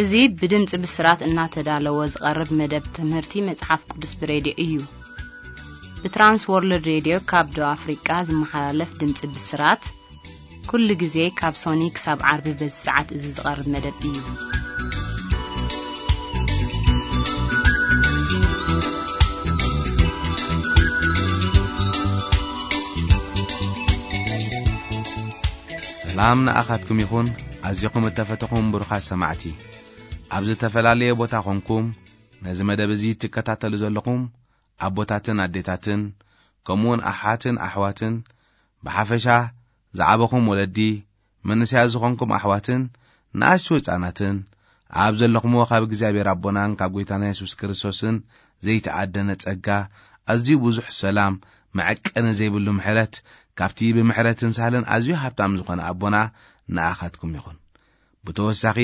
እዚ ብድምፂ ብስራት እናተዳለወ ዝቐርብ መደብ ትምህርቲ መጽሓፍ ቅዱስ ብሬድዮ እዩ። ብትራንስ ወርልድ ሬድዮ ካብ ደቡብ ኣፍሪቃ ዝመሓላለፍ ድምፂ ብስራት፣ ኩሉ ግዜ ካብ ሶኒ ክሳብ ዓርቢ በዚ ሰዓት እዚ ዝቐርብ መደብ እዩ። ሰላም ንኣኻትኩም ይኹን። ኣዚኹም እተፈተኹም ብሩኻት ሰማዕቲ፣ ኣብ ዝተፈላለየ ቦታ ኾንኩም ነዚ መደብ እዚ ትከታተሉ ዘለኹም ኣቦታትን ኣዴታትን፣ ከምኡውን ኣሓትን ኣሕዋትን፣ ብሓፈሻ ዝዓበኹም ወለዲ፣ መንእሰያት ዝኾንኩም ኣሕዋትን ንኣሽቱ ህጻናትን፣ ኣብ ዘለኹምዎ ካብ እግዚኣብሔር ኣቦናን ካብ ጐይታና የሱስ ክርስቶስን ዘይተኣደነ ጸጋ፣ ኣዝዩ ብዙሕ ሰላም፣ መዐቀኒ ዘይብሉ ምሕረት፣ ካብቲ ብምሕረትን ሳህልን ኣዝዩ ሃብታም ዝኾነ ኣቦና ንኣኻትኩም ይኹን። ብተወሳኺ፣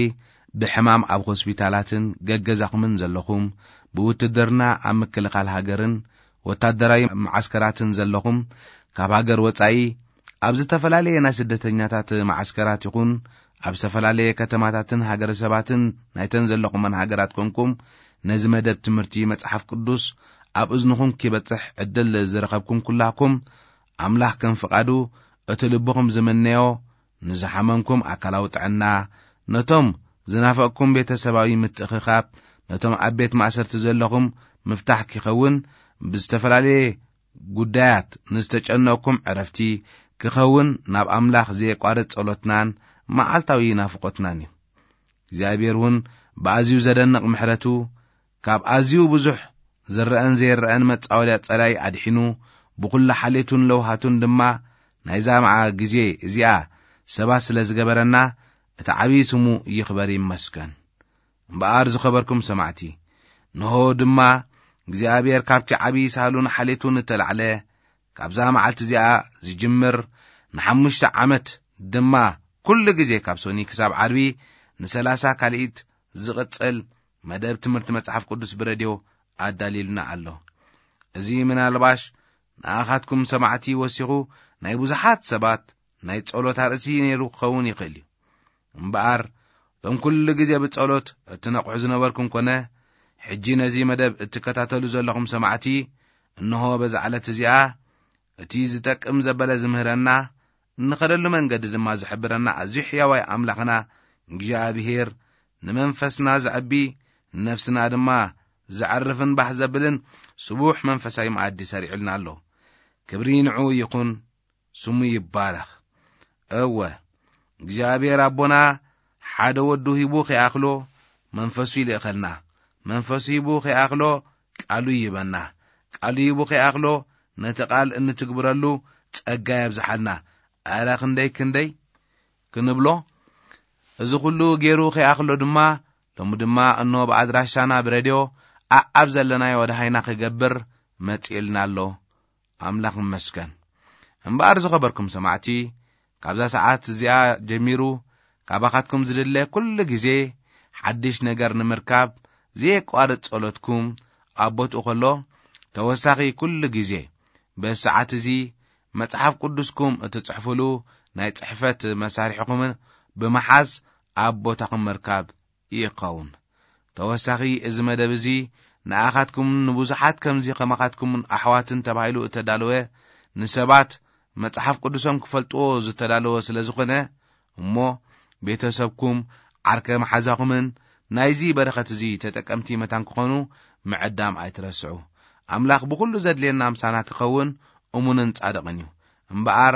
ብሕማም ኣብ ሆስፒታላትን ገገዛኹምን ዘለኹም፣ ብውትድርና ኣብ ምክልኻል ሃገርን ወታደራዊ መዓስከራትን ዘለኹም፣ ካብ ሃገር ወጻኢ ኣብ ዝተፈላለየ ናይ ስደተኛታት መዓስከራት ይኹን ኣብ ዝተፈላለየ ከተማታትን ሃገረሰባትን ናይተን ዘለኹመን ሃገራት ኮንኩም፣ ነዚ መደብ ትምህርቲ መጽሓፍ ቅዱስ ኣብ እዝንኹም ኪበጽሕ ዕድል ዝረኸብኩም ኩላኩም፣ ኣምላኽ ከም ፍቓዱ እቲ ልብኹም ዝምነዮ፣ ንዝሓመምኩም ኣካላዊ ጥዕና፣ ነቶም ዝናፈቅኩም ቤተሰባዊ ምትእኽኻብ፣ ነቶም ኣብ ቤት ማእሰርቲ ዘለኹም ምፍታሕ ኪኸውን፣ ብዝተፈላለየ ጉዳያት ንዝተጨነቅኩም ዕረፍቲ ክኸውን፣ ናብ ኣምላኽ ዘየቋርጽ ጸሎትናን መዓልታዊ ናፍቆትናን እዩ። እግዚኣብሔር እውን ብኣዝዩ ዘደንቕ ምሕረቱ፣ ካብ ኣዝዩ ብዙሕ ዝረአን ዘይረአን መጻወድያ ጸላኢ ኣድሒኑ፣ ብኹሉ ሓሌቱን ለውሃቱን ድማ ናይዛ መዓ ግዜ እዚኣ ሰባት ስለ ዝገበረና፣ እቲ ዓብዪ ስሙ ይኽበር ይመስገን። እምበኣር ዝኸበርኩም ሰማዕቲ፣ ንሆ ድማ እግዚኣብሔር ካብቲ ዓብዪ ሳህሉን ሓሌቱን እተላዕለ፣ ካብዛ መዓልቲ እዚኣ ዝጅምር ንሓሙሽተ ዓመት ድማ ኩሉ ግዜ ካብ ሶኒ ክሳብ ዓርቢ ንሰላሳ ካልኢት ዝቕጽል መደብ ትምህርቲ መጽሓፍ ቅዱስ ብረድዮ ኣዳልዩልና ኣሎ። እዚ ምናልባሽ ንኣኻትኩም ሰማዕቲ ወሲኹ ናይ ብዙሓት ሰባት ናይ ጸሎት ኣርእሲ ነይሩ ክኸውን ይኽእል እዩ። እምበኣር፣ እቶም ኩሉ ግዜ ብጸሎት እትነቕሑ ዝነበርኩም ኮነ፣ ሕጂ ነዚ መደብ እትከታተሉ ዘለኹም ሰማዕቲ፣ እንሆ በዛ ዕለት እዚኣ እቲ ዝጠቅም ዘበለ ዝምህረና፣ እንኸደሉ መንገዲ ድማ ዝሕብረና ኣዝዩ ሕያዋይ ኣምላኽና እግዚኣብሔር፣ ንመንፈስና ዘዕቢ፣ ንነፍስና ድማ ዘዕርፍን ባህ ዘብልን ስቡሕ መንፈሳዊ መኣዲ ሰሪዑልና ኣሎ። ክብሪ ንዕኡ ይኹን፣ ስሙ ይባረኽ። እወ፣ እግዚኣብሔር ኣቦና ሓደ ወዱ ሂቡ ከይኣኽሎ፣ መንፈሱ ይልእኸልና። መንፈሱ ሂቡ ከይኣኽሎ፣ ቃሉ ይህበና። ቃሉ ሂቡ ከይኣኽሎ፣ ነቲ ቃል እንትግብረሉ ጸጋ የብዝሓልና። ኣረ ክንደይ ክንደይ ክንብሎ። እዚ ኩሉ ገይሩ ከይኣኽሎ ድማ፣ ሎሚ ድማ እኖ ብኣድራሻና ብረድዮ ኣኣብ ዘለናዮ ወደሃይና ክገብር መጺእልና ኣሎ። ኣምላኽ ይመስገን። እምበኣር ዝኸበርኩም ሰማዕቲ፣ ካብዛ ሰዓት እዚኣ ጀሚሩ ካባኻትኩም ዝድለ ኩሉ ግዜ ሓድሽ ነገር ንምርካብ ዘየቋርጽ ጸሎትኩም ኣብ ቦትኡ ከሎ፣ ተወሳኺ ኩሉ ግዜ በዚ ሰዓት እዚ መጽሓፍ ቅዱስኩም እትጽሕፉሉ ናይ ጽሕፈት መሳርሒኹምን ብምሓዝ ኣብ ቦታኹም ምርካብ ይኸውን። ተወሳኺ፣ እዚ መደብ እዚ ንኣኻትኩምን ንብዙሓት ከምዚ ከማኻትኩምን ኣሕዋትን ተባሂሉ እተዳለወ፣ ንሰባት መጽሓፍ ቅዱሶም ክፈልጥዎ ዝተዳለወ ስለ ዝኾነ፣ እሞ ቤተሰብኩም፣ ዓርከ መሓዛኹምን ናይዚ በረኸት እዚ ተጠቀምቲ መታን ክኾኑ ምዕዳም ኣይትረስዑ። ኣምላኽ ብኹሉ ዘድልየና ምሳና ክኸውን እሙንን ጻድቕን እዩ። እምበኣር፣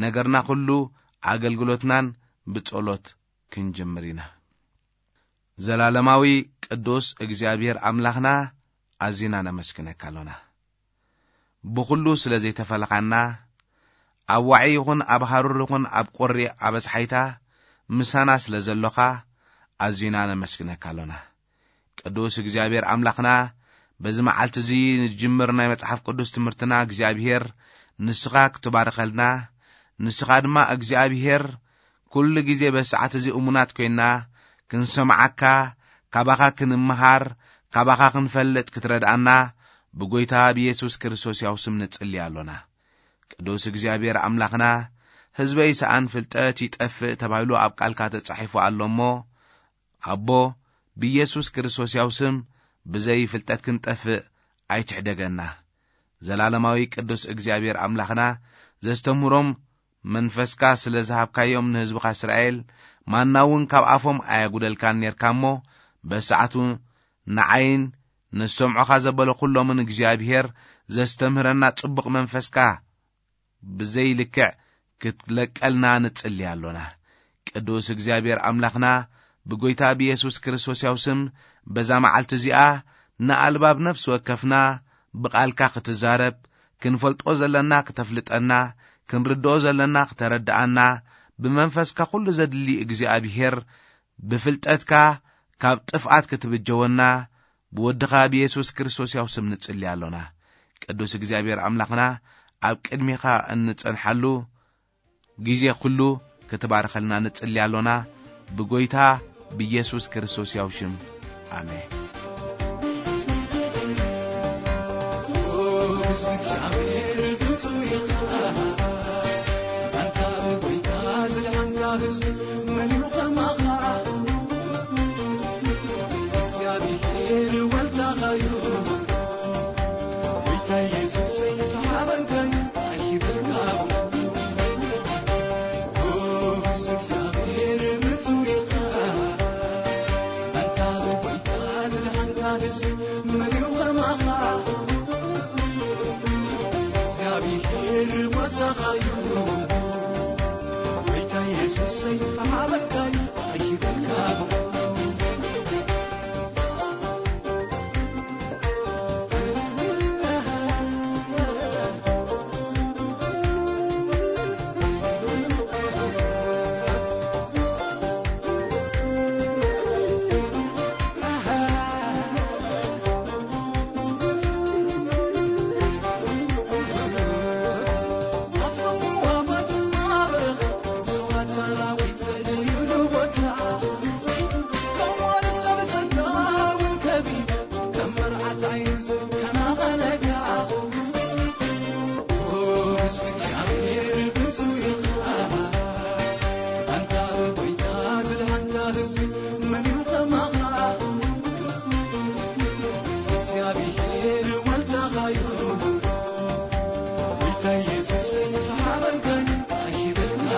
ነገርና ኩሉ፣ ኣገልግሎትናን ብጸሎት ክንጅምር ኢና። ዘላለማዊ ቅዱስ እግዚኣብሔር ኣምላኽና፣ ኣዚና ነመስግነካ ኣሎና። ብኹሉ ስለ ዘይተፈለኻና፣ ኣብ ዋዒ ይኹን ኣብ ሃሩር ይኹን ኣብ ቁሪ ኣበጽሓይታ ምሳና ስለ ዘሎኻ፣ ኣዚና ነመስግነካ ኣሎና። ቅዱስ እግዚኣብሔር ኣምላኽና፣ በዚ መዓልቲ እዚ ንጅምር ናይ መጽሓፍ ቅዱስ ትምህርትና እግዚኣብሔር ንስኻ ክትባርኸልና፣ ንስኻ ድማ እግዚኣብሔር ኩሉ ግዜ በዚ ሰዓት እዚ እሙናት ኮይንና ክንሰምዓካ፣ ካባኻ ክንምሃር፣ ካባኻ ክንፈልጥ ክትረድኣና ብጎይታ ብየሱስ ክርስቶስ ያው ስም ንጽሊ ኣሎና። ቅዱስ እግዚኣብሔር ኣምላኽና፣ ህዝበይ ሰኣን ፍልጠት ይጠፍእ ተባሂሉ ኣብ ቃልካ ተጻሒፉ ኣሎ እሞ፣ ኣቦ፣ ብኢየሱስ ክርስቶስ ያው ስም ብዘይ ፍልጠት ክንጠፍእ ኣይትሕደገና። ዘላለማዊ ቅዱስ እግዚኣብሔር ኣምላኽና፣ ዘስተምህሮም መንፈስካ ስለ ዝሃብካዮም ንህዝብኻ እስራኤል፣ ማና እውን ካብ ኣፎም ኣያጉደልካን ኔርካ እሞ፣ በሰዓቱ ንዓይን ንሰምዖኻ ዘበለ ኩሎምን እግዚኣብሔር ዘስተምህረና ጽቡቕ መንፈስካ ብዘይ ልክዕ ክትለቀልና ንጽሊ ኣሎና። ቅዱስ እግዚኣብሔር ኣምላኽና፣ ብጎይታ ብየሱስ ክርስቶስ ያው ስም፣ በዛ መዓልቲ እዚኣ ንኣልባብ ነፍሲ ወከፍና ብቓልካ ክትዛረብ፣ ክንፈልጦ ዘለና ክተፍልጠና፣ ክንርድኦ ዘለና ክተረድኣና፣ ብመንፈስካ ኩሉ ዘድሊ እግዚኣብሔር ብፍልጠትካ ካብ ጥፍኣት ክትብጀወና፣ ብወድኻ ብየሱስ ክርስቶስ ያው ስም ንጽሊ ኣሎና። ቅዱስ እግዚኣብሔር ኣምላኽና፣ ኣብ ቅድሚኻ እንጸንሓሉ ግዜ ኩሉ ክትባርኸልና ንጽሊ ኣሎና፣ ብጎይታ ብየሱስ ክርስቶስ ያው ሽም። ኣሜን። እግዚኣብሔር ጓሳኻ እዩ፣ ጎይታ የሱሰይ፣ ሃበካ እዩ፣ ኣይሽበካ። እግዚኣብሔር ወልድኻ እዩ፣ ጎይታ ኢየሱስ ተሓበንካን ኣይበልካ።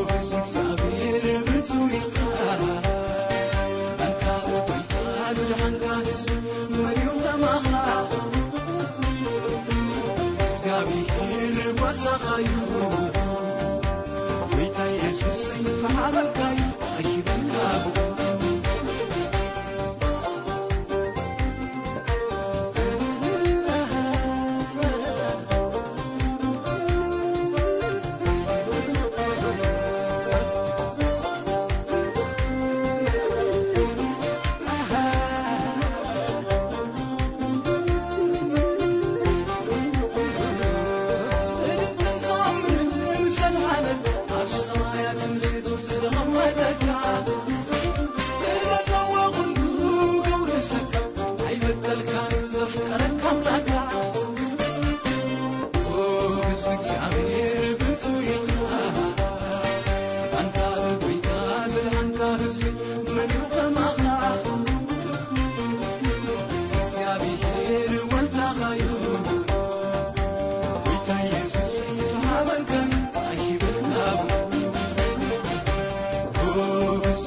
ብስም እግዚኣብሔር ብፁዕ ኢኻ፣ ኣንታ ጎይታ ዝደሓንካ ንሱ መን እዩ ከማኻ? እግዚኣብሔር ጓሳኻ እዩ፣ ጎይታ ኢየሱስ ተሓበንካ እዩ፣ ኣይበልካ።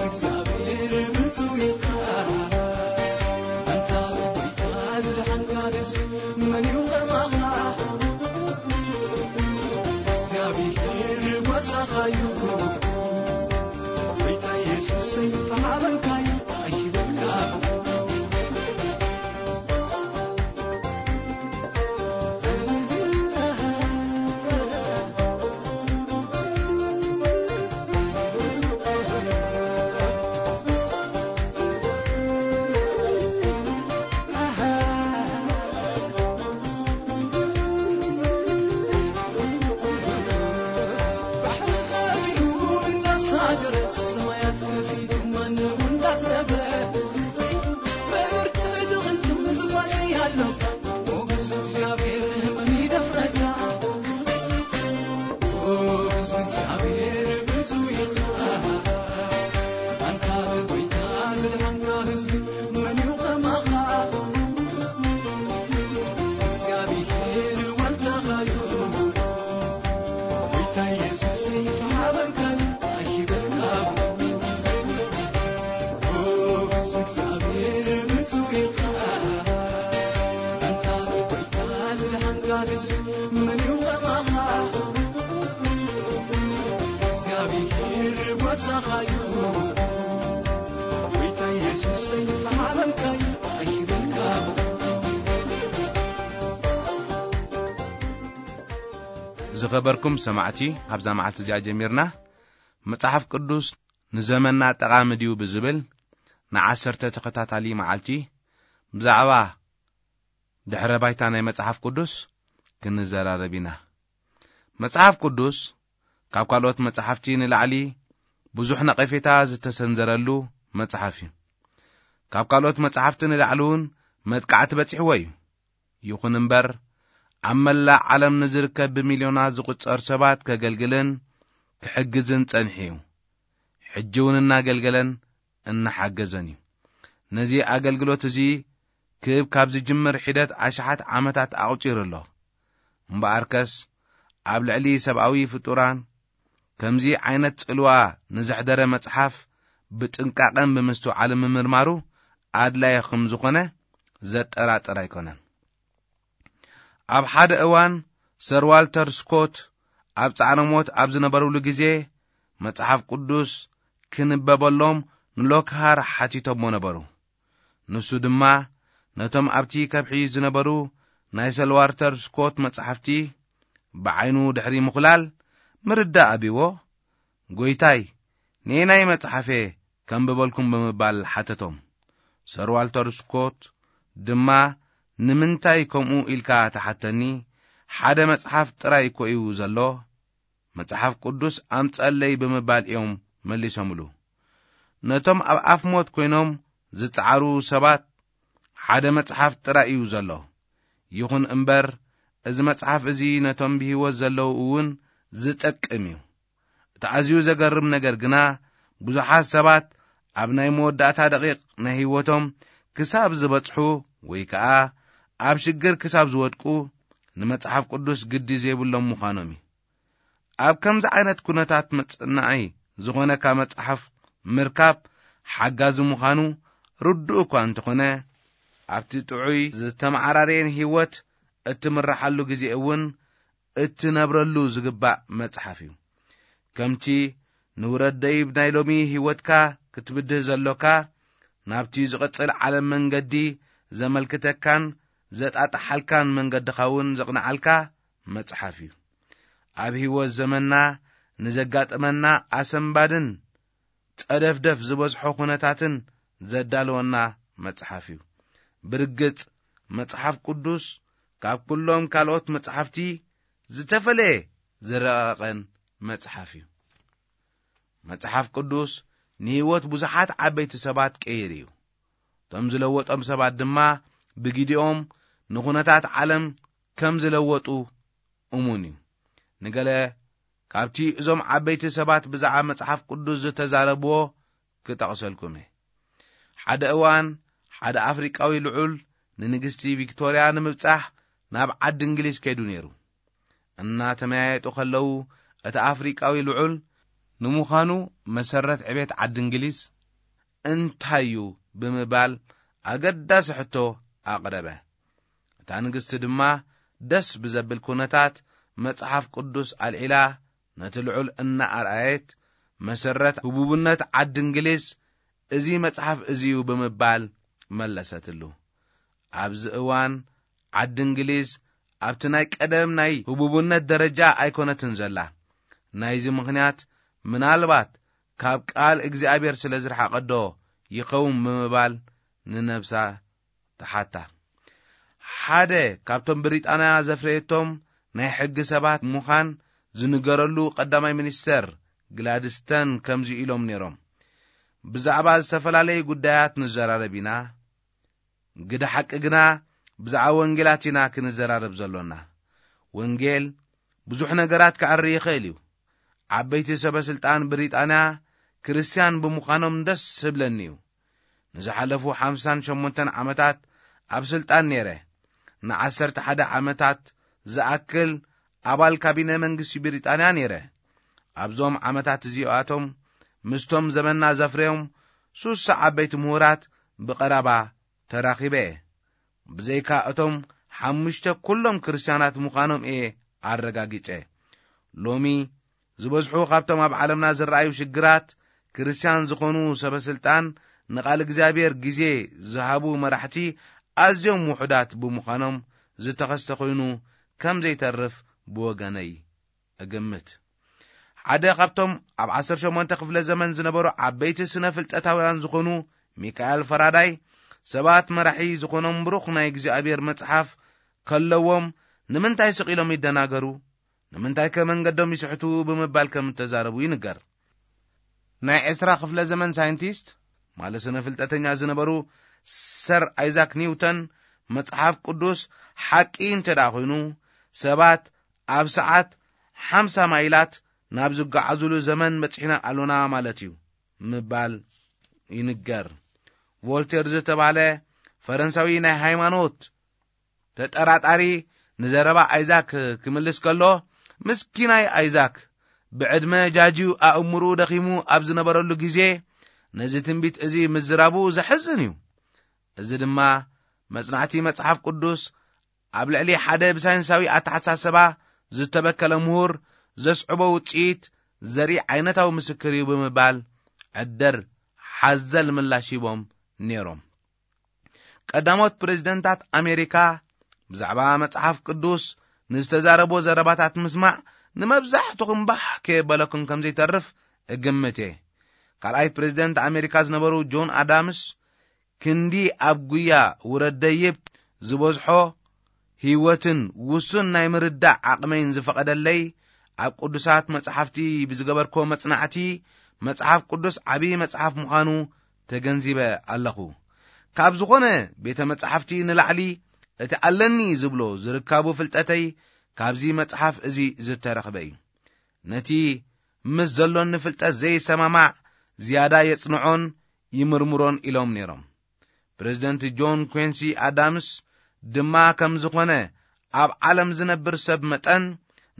እግዚኣብሔር ብፁዕ ኢኻ፣ ኣንታ ጎይታ ዝደሓንካ ንሱ መን እዩ ከማኻ? እግዚኣብሔር ጓሳኻ እዩ፣ ጎይታ ኢየሱሰይ ተሓበንካ እዩ፣ ኣይሽበካ። ሳኻዩ ጎይታ ኢየሱሰይ፣ ዓለምካዩ ኣኺበልካ። ዝኸበርኩም ሰማዕቲ፣ ካብዛ መዓልቲ እዚኣ ጀሚርና መጽሓፍ ቅዱስ ንዘመንና ጠቓሚ ድዩ ብዝብል ንዓሰርተ ተኸታታሊ መዓልቲ ብዛዕባ ድሕረ ባይታ ናይ መጽሓፍ ቅዱስ ክንዘራረብ ኢና። መጽሓፍ ቅዱስ ካብ ካልኦት መጽሓፍቲ ንላዕሊ ብዙሕ ነቐፌታ ዝተሰንዘረሉ መጽሓፍ እዩ። ካብ ካልኦት መጽሓፍቲ ንላዕሊ እውን መጥቃዕቲ በጺሕዎ እዩ። ይኹን እምበር፣ ኣብ መላእ ዓለም ንዝርከብ ብሚልዮናት ዝቑጸር ሰባት ከገልግልን ክሕግዝን ጸኒሑ እዩ። ሕጂ እውን እናገልገለን እናሓገዘን እዩ። ነዚ ኣገልግሎት እዚ ክብ ካብ ዝጅምር ሒደት ኣሽሓት ዓመታት ኣቑጺሩ ኣሎ። እምበኣርከስ፣ ኣብ ልዕሊ ሰብኣዊ ፍጡራን ከምዚ ዓይነት ጽልዋ ንዘሕደረ መጽሓፍ ብጥንቃቐን ብምስትውዓልን ምምርማሩ ኣድላዪ ከም ዝኾነ ዘጠራጥር ኣይኮነን። ኣብ ሓደ እዋን ሰር ዋልተር ስኮት ኣብ ጻዕረ ሞት ኣብ ዝነበሩሉ ግዜ፣ መጽሓፍ ቅዱስ ክንበበሎም ንሎክሃር ሓቲቶሞ ነበሩ። ንሱ ድማ ነቶም ኣብቲ ከብሒ ዝነበሩ ናይ ሰር ዋልተር ስኮት መጽሓፍቲ ብዓይኑ ድሕሪ ምኹላል ምርዳእ ኣቢዎ፣ "ጐይታይ፣ ነየናይ መጽሓፍ እየ ከንብበልኩም?" ብምባል ሓተቶም። ሰር ዋልተር ስኮት ድማ፣ "ንምንታይ ከምኡ ኢልካ ትሓተኒ? ሓደ መጽሓፍ ጥራይ እኮ እዩ ዘሎ። መጽሓፍ ቅዱስ ኣምጸለይ" ብምባል እዮም መሊሶምሉ። ነቶም ኣብ ኣፍ ሞት ኮይኖም ዝጸዓሩ ሰባት ሓደ መጽሓፍ ጥራይ እዩ ዘሎ። ይኹን እምበር፣ እዚ መጽሓፍ እዚ ነቶም ብህይወት ዘለዉ እውን ዝጠቅም እዩ። እቲ ኣዝዩ ዘገርም ነገር ግና፣ ብዙሓት ሰባት ኣብ ናይ መወዳእታ ደቂቕ ናይ ህይወቶም ክሳብ ዝበጽሑ ወይ ከኣ ኣብ ሽግር ክሳብ ዝወድቁ፣ ንመጽሓፍ ቅዱስ ግዲ ዘይብሎም ምዃኖም እዩ። ኣብ ከምዚ ዓይነት ኩነታት መጽናዒ ዝኾነካ መጽሓፍ ምርካብ ሓጋዚ ምዃኑ ርዱእ እኳ እንተኾነ፣ ኣብቲ ጥዑይ ዝተመዓራረየን ህይወት እትምርሓሉ ግዜ እውን እትነብረሉ ዝግባእ መጽሓፍ እዩ። ከምቲ ንውረድ ደይብ ናይ ሎሚ ህይወትካ ክትብድህ ዘሎካ፣ ናብቲ ዝቕጽል ዓለም መንገዲ ዘመልክተካን ዘጣጥሓልካን መንገድኻ እውን ዘቕንዓልካ መጽሓፍ እዩ። ኣብ ህይወት ዘመንና ንዘጋጥመና ኣሰንባድን ጸደፍደፍ ዝበዝሖ ኩነታትን ዘዳልወና መጽሓፍ እዩ። ብርግጽ፣ መጽሓፍ ቅዱስ ካብ ኩሎም ካልኦት መጽሓፍቲ ዝተፈለየ ዝረቐቐን መጽሓፍ እዩ። መጽሓፍ ቅዱስ ንህይወት ብዙሓት ዓበይቲ ሰባት ቀይሩ እዩ። እቶም ዝለወጦም ሰባት ድማ ብግዲኦም ንኹነታት ዓለም ከም ዝለወጡ እሙን እዩ። ንገለ ካብቲ እዞም ዓበይቲ ሰባት ብዛዕባ መጽሓፍ ቅዱስ ዝተዛረብዎ ክጠቕሰልኩም እየ። ሓደ እዋን ሓደ ኣፍሪቃዊ ልዑል ንንግስቲ ቪክቶርያ ንምብጻሕ ናብ ዓዲ እንግሊዝ ከይዱ ነይሩ። እናተመያየጡ ከለዉ፣ እቲ ኣፍሪቃዊ ልዑል፣ "ንምዃኑ መሰረት ዕቤት ዓዲ እንግሊዝ እንታይ እዩ?" ብምባል ኣገዳሲ ሕቶ ኣቕረበ። እታ ንግስቲ ድማ ደስ ብዘብል ኩነታት መጽሓፍ ቅዱስ ኣልዒላ ነቲ ልዑል እናኣርኣየት፣ "መሰረት ህቡብነት ዓዲ እንግሊዝ እዚ መጽሓፍ እዚ እዩ" ብምባል መለሰትሉ። ኣብዚ እዋን ዓዲ እንግሊዝ ኣብቲ ናይ ቀደም ናይ ህቡብነት ደረጃ ኣይኮነትን ዘላ። ናይዚ ምኽንያት ምናልባት ካብ ቃል እግዚኣብሔር ስለ ዝረሓቐዶ ይኸውን ብምባል ንነብሳ ተሓታ። ሓደ ካብቶም ብሪጣንያ ዘፍረየቶም ናይ ሕጊ ሰባት ምዃን ዝንገረሉ ቀዳማይ ሚኒስተር ግላድስተን ከምዚ ኢሎም ነይሮም፣ "ብዛዕባ ዝተፈላለዩ ጉዳያት ንዘራረብ ኢና፣ ግደ ሓቂ ግና ብዛዕባ ወንጌላት ኢና ክንዘራረብ ዘሎና። ወንጌል ብዙሕ ነገራት ከዕሪ ይኽእል እዩ። ዓበይቲ ሰበ ስልጣን ብሪጣንያ ክርስትያን ብምዃኖም ደስ ዝብለኒ እዩ። ንዝሓለፉ ሓምሳን ሸሞንተን ዓመታት ኣብ ስልጣን ነይረ። ንዓሰርተ ሓደ ዓመታት ዝኣክል ኣባል ካቢነ መንግስቲ ብሪጣንያ ነይረ። ኣብዞም ዓመታት እዚኣቶም ምስቶም ዘመንና ዘፍረዮም ሱሳ ዓበይቲ ምሁራት ብቐረባ ተራኺበ እየ። ብዘይካ እቶም ሓሙሽተ ኩሎም ክርስትያናት ምዃኖም እየ ኣረጋጊጸ። ሎሚ ዝበዝሑ ካብቶም ኣብ ዓለምና ዝረኣዩ ሽግራት ክርስትያን ዝኾኑ ሰበ ስልጣን ንቓል እግዚኣብሔር ግዜ ዝሃቡ መራሕቲ ኣዝዮም ውሑዳት ብምዃኖም ዝተኸስተ ኮይኑ ከም ዘይተርፍ ብወገነይ እግምት። ሓደ ካብቶም ኣብ ዓሰርተ ሸሞንተ ክፍለ ዘመን ዝነበሩ ዓበይቲ ስነ ፍልጠታውያን ዝኾኑ ሚካኤል ፈራዳይ፣ ሰባት መራሒ ዝኾኖም ብሩኽ ናይ እግዚኣብሔር መጽሓፍ ከለዎም ንምንታይ ስቕ ኢሎም ይደናገሩ? ንምንታይ ከ መንገዶም ይስሕቱ? ብምባል ከም እተዛረቡ ይንገር። ናይ ዕስራ ክፍለ ዘመን ሳይንቲስት ማለት ስነ ፍልጠተኛ ዝነበሩ ሰር ኣይዛክ ኒውተን፣ መጽሓፍ ቅዱስ ሓቂ እንተ ደኣ ኮይኑ፣ ሰባት ኣብ ሰዓት ሓምሳ ማይላት ናብ ዝጓዓዙሉ ዘመን በጺሕና ኣሎና ማለት እዩ ምባል ይንገር። ቮልቴር ዝተባለ ፈረንሳዊ ናይ ሃይማኖት ተጠራጣሪ ንዘረባ ኣይዛክ ክምልስ ከሎ፣ ምስኪናይ ኣይዛክ ብዕድመ ጃጅዩ ኣእምርኡ ደኺሙ ኣብ ዝነበረሉ ግዜ ነዚ ትንቢት እዚ ምዝራቡ ዘሕዝን እዩ። እዚ ድማ መጽናዕቲ መጽሓፍ ቅዱስ ኣብ ልዕሊ ሓደ ብሳይንሳዊ ኣተሓሳስባ ዝተበከለ ምሁር ዘስዕቦ ውጽኢት ዘርኢ ዓይነታዊ ምስክር እዩ ብምባል ዕደር ሓዘል ምላሽ ሂቦም ነይሮም። ቀዳሞት ፕሬዝደንታት ኣሜሪካ ብዛዕባ መጽሓፍ ቅዱስ ንዝተዛረቦ ዘረባታት ምስማዕ ንመብዛሕትኹም ባህ ከየበለኩም ከም ዘይተርፍ እግምት እየ። ካልኣይ ፕሬዝደንት ኣሜሪካ ዝነበሩ ጆን ኣዳምስ ክንዲ ኣብ ጉያ ውረድ ደይብ ዝበዝሖ ህይወትን ውሱን ናይ ምርዳእ ዓቕመይን ዝፈቐደለይ፣ ኣብ ቅዱሳት መጽሓፍቲ ብዝገበርኮ መጽናዕቲ፣ መጽሓፍ ቅዱስ ዓቢ መጽሓፍ ምዃኑ ተገንዚበ ኣለኹ። ካብ ዝኾነ ቤተ መጻሕፍቲ ንላዕሊ እቲ ኣለኒ ዝብሎ ዝርካቡ ፍልጠተይ ካብዚ መጽሓፍ እዚ ዝተረኽበ እዩ። ነቲ ምስ ዘሎኒ ፍልጠት ዘይሰማማዕ ዝያዳ የጽንዖን ይምርምሮን ኢሎም ነይሮም። ፕሬዝደንት ጆን ኩንሲ ኣዳምስ ድማ ከም ዝኾነ ኣብ ዓለም ዝነብር ሰብ መጠን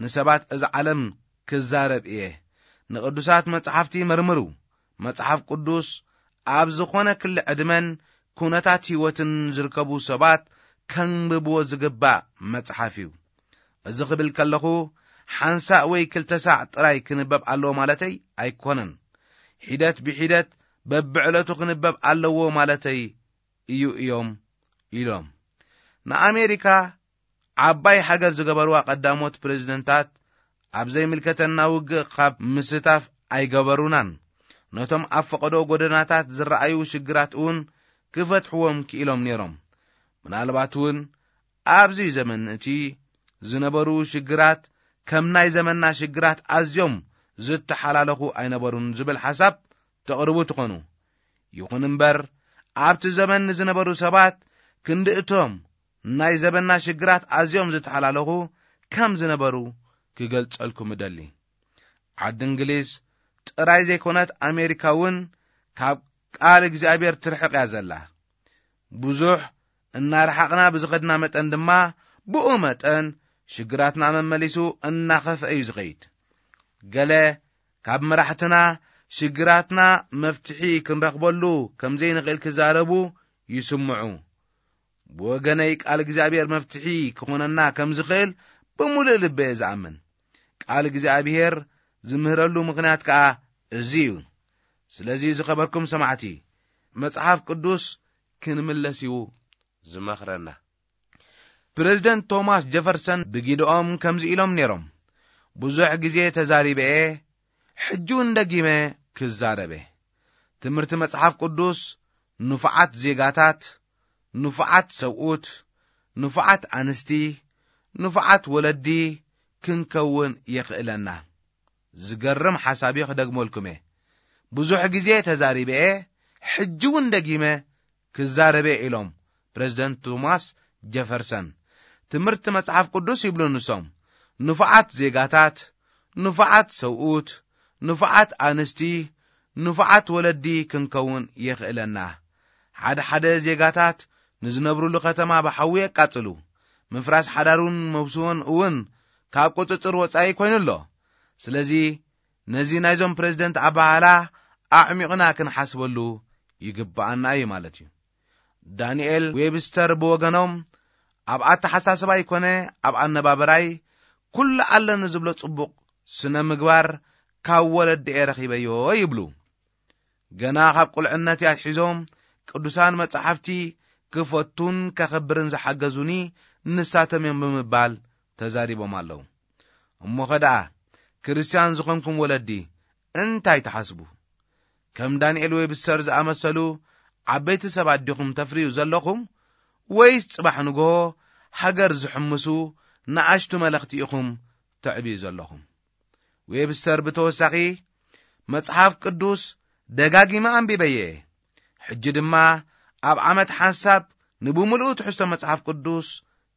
ንሰባት እዛ ዓለም ክዛረብ እየ። ንቅዱሳት መጽሓፍቲ መርምሩ። መጽሓፍ ቅዱስ ኣብ ዝኾነ ክሊ ዕድመን ኩነታት ህይወትን ዝርከቡ ሰባት ከንብብዎ ዝግባእ መጽሓፍ እዩ። እዚ ክብል ከለኹ ሓንሳእ ወይ ክልተ ሳዕ ጥራይ ክንበብ ኣለዎ ማለተይ ኣይኮነን። ሒደት ብሒደት በብዕለቱ ክንበብ ኣለዎ ማለተይ እዩ እዮም ኢሎም። ንኣሜሪካ ዓባይ ሃገር ዝገበርዋ ቀዳሞት ፕሬዝደንታት ኣብ ዘይምልከተና ውግእ ካብ ምስታፍ ኣይገበሩናን። ነቶም ኣብ ፈቐዶ ጎደናታት ዝረኣዩ ሽግራት እውን ክፈትሕዎም ክኢሎም ነይሮም። ምናልባት እውን ኣብዚ ዘመን እቲ ዝነበሩ ሽግራት ከም ናይ ዘመንና ሽግራት ኣዝዮም ዝተሓላለኹ ኣይነበሩን ዝብል ሓሳብ ተቕርቡ ትኾኑ። ይኹን እምበር ኣብቲ ዘመን ንዝነበሩ ሰባት ክንዲ እቶም ናይ ዘመንና ሽግራት ኣዝዮም ዝተሓላለኹ ከም ዝነበሩ ክገልጸልኩም እደሊ። ዓዲ እንግሊዝ ጥራይ ዘይኮነት ኣሜሪካ እውን ካብ ቃል እግዚኣብሔር ትርሕቕ እያ ዘላ። ብዙሕ እናረሓቕና ብዝኸድና መጠን ድማ ብኡ መጠን ሽግራትና መመሊሱ እናኸፍአ እዩ ዝኸይድ። ገለ ካብ መራሕትና ሽግራትና መፍትሒ ክንረኽበሉ ከም ዘይንኽእል ክዛረቡ ይስምዑ። ብወገነይ ቃል እግዚኣብሔር መፍትሒ ክኾነና ከም ዝኽእል ብምሉእ ልበ እየ ዝኣምን። ቃል እግዚኣብሔር ዝምህረሉ ምኽንያት ከኣ እዚ እዩ። ስለዚ ዝኸበርኩም ሰማዕቲ፣ መጽሓፍ ቅዱስ ክንምለስ እዩ ዝመኽረና። ፕሬዝደንት ቶማስ ጀፈርሰን ብጊድኦም ከምዚ ኢሎም ነይሮም፣ ብዙሕ ግዜ ተዛሪበ እየ፣ ሕጂ እውን ደጊመ ክዛረበ። ትምህርቲ መጽሓፍ ቅዱስ ንፉዓት ዜጋታት፣ ንፉዓት ሰብኡት፣ ንፉዓት ኣንስቲ፣ ንፉዓት ወለዲ ክንከውን የኽእለና። ዝገርም ሓሳብ እየ ክደግመልኩም እየ። ብዙሕ ግዜ ተዛሪበ እየ፣ ሕጂ እውን ደጊመ ክዛረበ እየ ኢሎም ፕሬዝደንት ቶማስ ጀፈርሰን። ትምህርቲ መጽሓፍ ቅዱስ ይብሉ ንሶም፣ ንፉዓት ዜጋታት፣ ንፉዓት ሰብኡት፣ ንፉዓት ኣንስቲ፣ ንፉዓት ወለዲ ክንከውን የኽእለና። ሓደ ሓደ ዜጋታት ንዝነብሩሉ ከተማ ብሓዊ የቃጽሉ። ምፍራስ ሓዳሩን መብስዎን እውን ካብ ቁጽጽር ወጻኢ ኮይኑ ኣሎ። ስለዚ ነዚ ናይዞም ፕሬዝደንት ኣባህላ ኣዕሚቕና ክንሓስበሉ ይግብኣና እዩ ማለት እዩ። ዳንኤል ዌብስተር ብወገኖም ኣብ ኣተሓሳስባይ ኮነ ኣብ ኣነባበራይ ኩሉ ኣለኒ ዝብሎ ጽቡቕ ስነ ምግባር ካብ ወለድኤ ረኺበዮ ይብሉ። ገና ካብ ቁልዕነትይ ኣትሒዞም ቅዱሳን መጻሕፍቲ ክፈቱን ከኽብርን ዝሓገዙኒ ንሳቶም እዮም ብምባል ተዛሪቦም ኣለዉ። እሞኸ ደኣ ክርስትያን ዝኾንኩም ወለዲ እንታይ ትሓስቡ? ከም ዳንኤል ዌብስተር ዝኣመሰሉ ዓበይቲ ሰባት ዲኹም ተፍርዩ ዘለኹም? ወይስ ጽባሕ ንግሆ ሃገር ዝሕምሱ ንኣሽቱ መለኽቲ ኢኹም ተዕብዩ ዘለኹም? ዌብስተር ብተወሳኺ፣ መጽሓፍ ቅዱስ ደጋጊመ ኣንቢበየ። ሕጂ ድማ ኣብ ዓመት ሓንሳብ ንብምሉኡ ትሕዝቶ መጽሓፍ ቅዱስ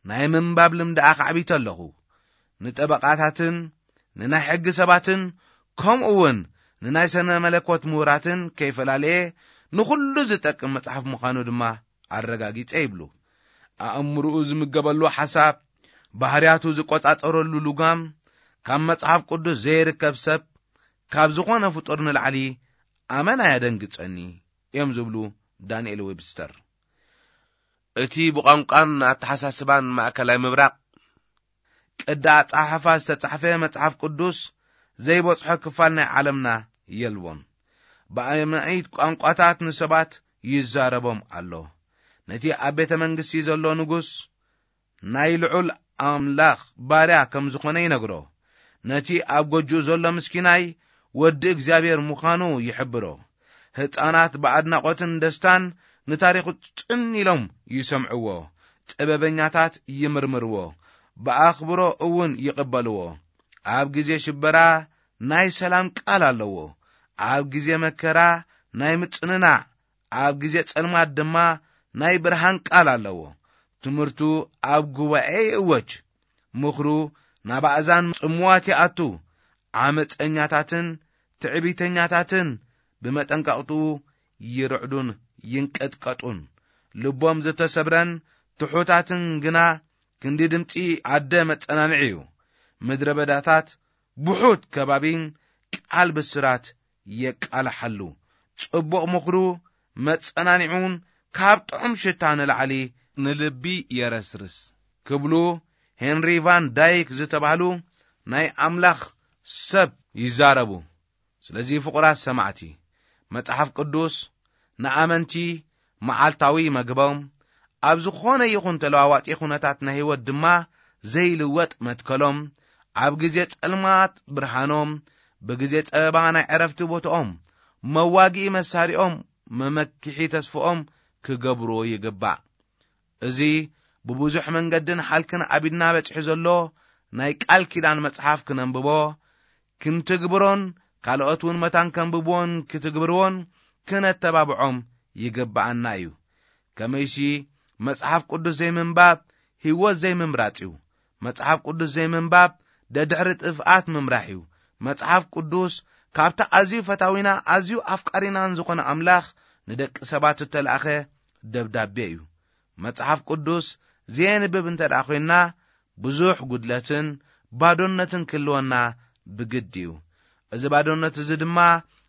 ናይ ምንባብ ልምዲ ኣኻዕቢተ ኣለኹ። ንጠበቓታትን ንናይ ሕጊ ሰባትን ከምኡ እውን ንናይ ሰነ መለኮት ምሁራትን ከይፈላለየ ንኹሉ ዝጠቅም መጽሓፍ ምዃኑ ድማ ኣረጋጊጸ ይብሉ። ኣእምርኡ ዝምገበሉ ሓሳብ፣ ባህርያቱ ዝቆጻጸረሉ ልጓም፣ ካብ መጽሓፍ ቅዱስ ዘይርከብ ሰብ ካብ ዝኾነ ፍጡር ንላዕሊ ኣመና የደንግጸኒ እዮም ዝብሉ ዳንኤል ዌብስተር። እቲ ብቋንቋን ኣተሓሳስባን ማእከላይ ምብራቕ ቅዲ ኣጸሓሕፋ ዝተጻሕፈ መጽሓፍ ቅዱስ ዘይበጽሖ ክፋል ናይ ዓለምና የልቦን። ብኣማኢት ቋንቋታት ንሰባት ይዛረቦም ኣሎ። ነቲ ኣብ ቤተ መንግስቲ ዘሎ ንጉስ ናይ ልዑል ኣምላኽ ባርያ ከም ዝኾነ ይነግሮ። ነቲ ኣብ ጎጆኡ ዘሎ ምስኪናይ ወዲ እግዚኣብሔር ምዃኑ ይሕብሮ። ህፃናት ብኣድናቖትን ደስታን ንታሪኹ ጽን ኢሎም ይሰምዕዎ። ጥበበኛታት ይምርምርዎ፣ ብኣኽብሮ እውን ይቕበልዎ። ኣብ ግዜ ሽበራ ናይ ሰላም ቃል ኣለዎ። ኣብ ግዜ መከራ ናይ ምጽንናዕ፣ ኣብ ግዜ ጸልማት ድማ ናይ ብርሃን ቃል ኣለዎ። ትምህርቱ ኣብ ጉባኤ ይእወጅ። ምኽሩ ናብ ኣእዛን ጽምዋት ይኣቱ። ዓመጸኛታትን ትዕቢተኛታትን ብመጠንቀቕትኡ ይርዕዱን ይንቀጥቀጡን። ልቦም ዝተሰብረን ትሑታትን ግና ክንዲ ድምጺ ኣደ መጸናንዒ እዩ። ምድረ በዳታት ብሑት ከባቢን ቃል ብስራት የቃልሓሉ። ጽቡቕ ምኽሩ መጸናንዒውን ካብ ጥዑም ሽታ ንላዕሊ ንልቢ የረስርስ ክብሉ ሄንሪ ቫን ዳይክ ዝተባህሉ ናይ ኣምላኽ ሰብ ይዛረቡ። ስለዚ ፍቑራት ሰማዕቲ፣ መጽሓፍ ቅዱስ ንኣመንቲ መዓልታዊ መግቦም፣ ኣብ ዝኾነ ይኹን ተለዋዋጢ ኩነታት ናይ ህይወት ድማ ዘይልወጥ መትከሎም፣ ኣብ ግዜ ጸልማት ብርሃኖም፣ ብግዜ ጸበባ ናይ ዕረፍቲ ቦታኦም፣ መዋግኢ መሳሪኦም፣ መመክሒ ተስፍኦም ክገብርዎ ይግባእ። እዚ ብብዙሕ መንገድን ሓልክን ኣብ ኢድና በጺሑ ዘሎ ናይ ቃል ኪዳን መጽሓፍ ክነንብቦ፣ ክንትግብሮን ካልኦት እውን መታን ከንብብዎን ክትግብርዎን ክነተባብዖም ይግብኣና እዩ። ከመይሲ መጽሓፍ ቅዱስ ዘይምንባብ ህይወት ዘይምምራጽ እዩ። መጽሓፍ ቅዱስ ዘይምንባብ ደድሕሪ ጥፍኣት ምምራሕ እዩ። መጽሓፍ ቅዱስ ካብቲ ኣዝዩ ፈታዊና ኣዝዩ ኣፍቃሪናን ዝኾነ ኣምላኽ ንደቂ ሰባት እተላእኸ ደብዳቤ እዩ። መጽሓፍ ቅዱስ ዘየንብብ እንተ ደኣ ኾይንና ብዙሕ ጉድለትን ባዶነትን ክህልወና ብግዲ እዩ። እዚ ባዶነት እዚ ድማ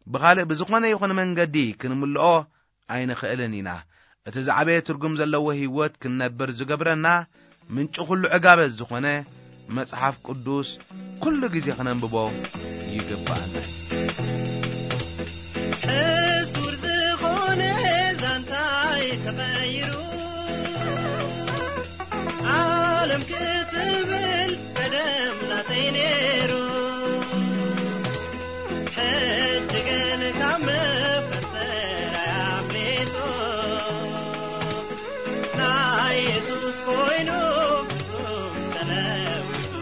ብኻልእ ብዝኾነ ይኹን መንገዲ ክንምልኦ ኣይንኽእልን ኢና። እቲ ዝዓበየ ትርጉም ዘለዎ ህይወት ክንነብር ዝገብረና ምንጪ ኩሉ ዕጋበት ዝኾነ መጽሓፍ ቅዱስ ኩሉ ግዜ ክነንብቦ ይግብኣና። ሕሱር ዝኾነ ዛንታይ ተቐይሩ ዓለም ክትብል ቀደም ናተይ ነይሩ። ሕጂ ግን ካብ መፈተራይ ኣምሊጡ ናይ የሱስ ኮይኑ ፍጹም ተለዊጡ።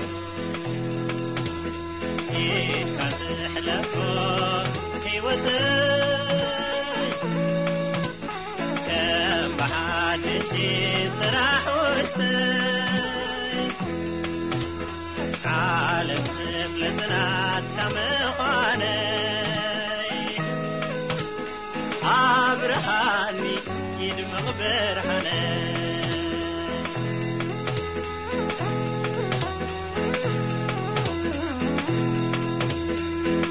ኢድካ ትሕለፎ ህይወተይ ከም ብሓድሽ ስራሕ ውሽጠይ ዓለም ትፍለጥ ናትካ ምዃነይ ኣብርሃኒ ይድመቕ ብርሃነይ።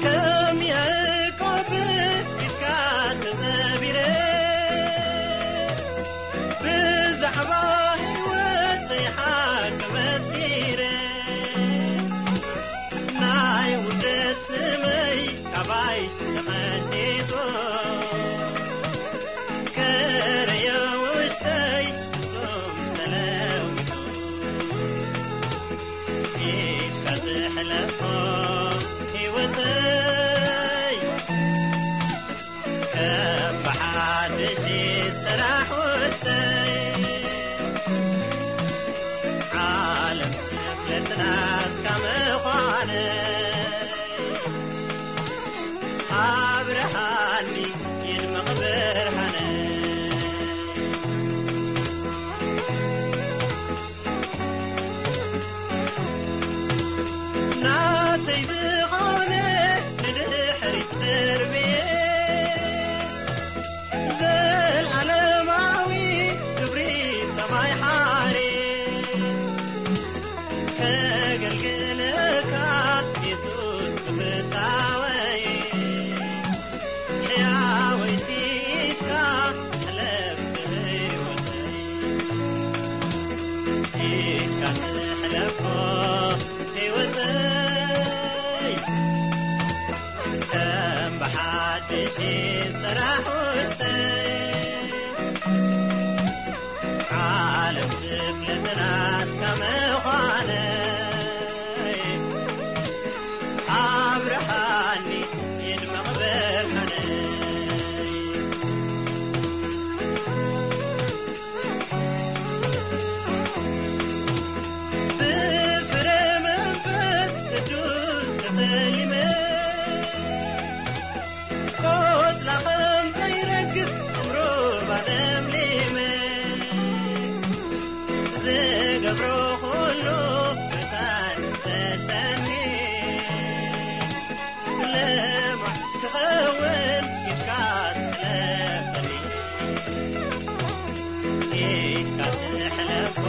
ከም ያዕቆብ ኢድካ ተዘቢረ ብዛዕባ ህይወተይ ሓቂ መስኪረ ናይ ውርደት ስመይ ካባይ ተቐንጢጡ። እሺ፣ ስራሕ ውሽጠይ ዓለም ዝፍለጥናት ከምዃነይ ኣብርሃኒ ይድመቕ ብርሃነይ። ብፍረ መንፈስ ቅዱስ ተሰሊመ ቆጽላ ከም ዘይረግፍ ዕምሩ ባለምሊመ ዝገብሮ ኩሉ መታን ይሰልጠኒ። ለማዕ ክኸውን ኢድካ ትሕለፈኒ፣ ኢድካ ትሕለፎ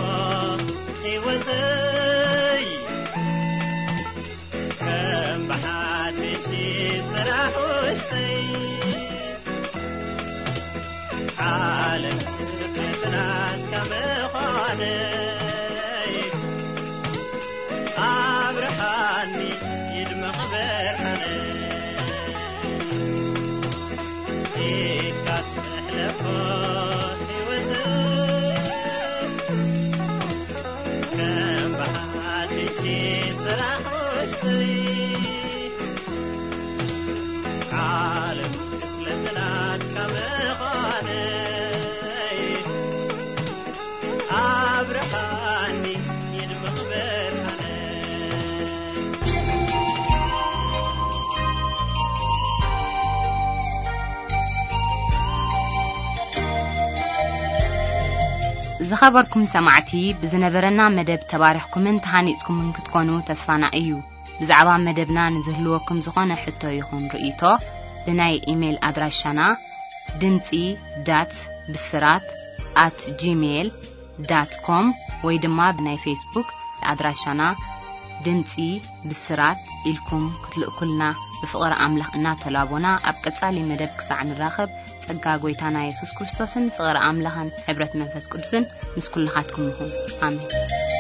ህይወተይ። ከም ብሓድሽ ስራሕ ውሽጠይ ዓለም ዝፍለጥናት ከምዃነይ ኣብርሃኒ ይድመቕ ብርሃነይ። ኢድካ ትሕለፎ ህይወት ከም ብሓድሽ ስራሕ ውሽጠይ ዓለም ዝፍለጥናት ከምዃነይ ኣብርሃኒ ይድመቕ ብርሃነይ። ዝኸበርኩም ሰማዕቲ፣ ብዝነበረና መደብ ተባሪኽኩምን ተሃኒጽኩምን ክትኮኑ ተስፋና እዩ። ብዛዕባ መደብና ንዝህልወኩም ዝኾነ ሕቶ ይኹን ርእይቶ፣ ብናይ ኢሜይል ኣድራሻና ድምጺ ዳት ብስራት ኣት ጂሜይል ዳት ኮም ወይ ድማ ብናይ ፌስቡክ ኣድራሻና ድምጺ ብስራት ኢልኩም ክትልእኩልና ብፍቕሪ ኣምላኽ እናተላቦና፣ ኣብ ቀጻሊ መደብ ክሳዕ ንራኸብ፣ ጸጋ ጐይታና የሱስ ክርስቶስን ፍቕሪ ኣምላኽን ሕብረት መንፈስ ቅዱስን ምስ ኩልኻትኩም ይኹን። ኣሜን።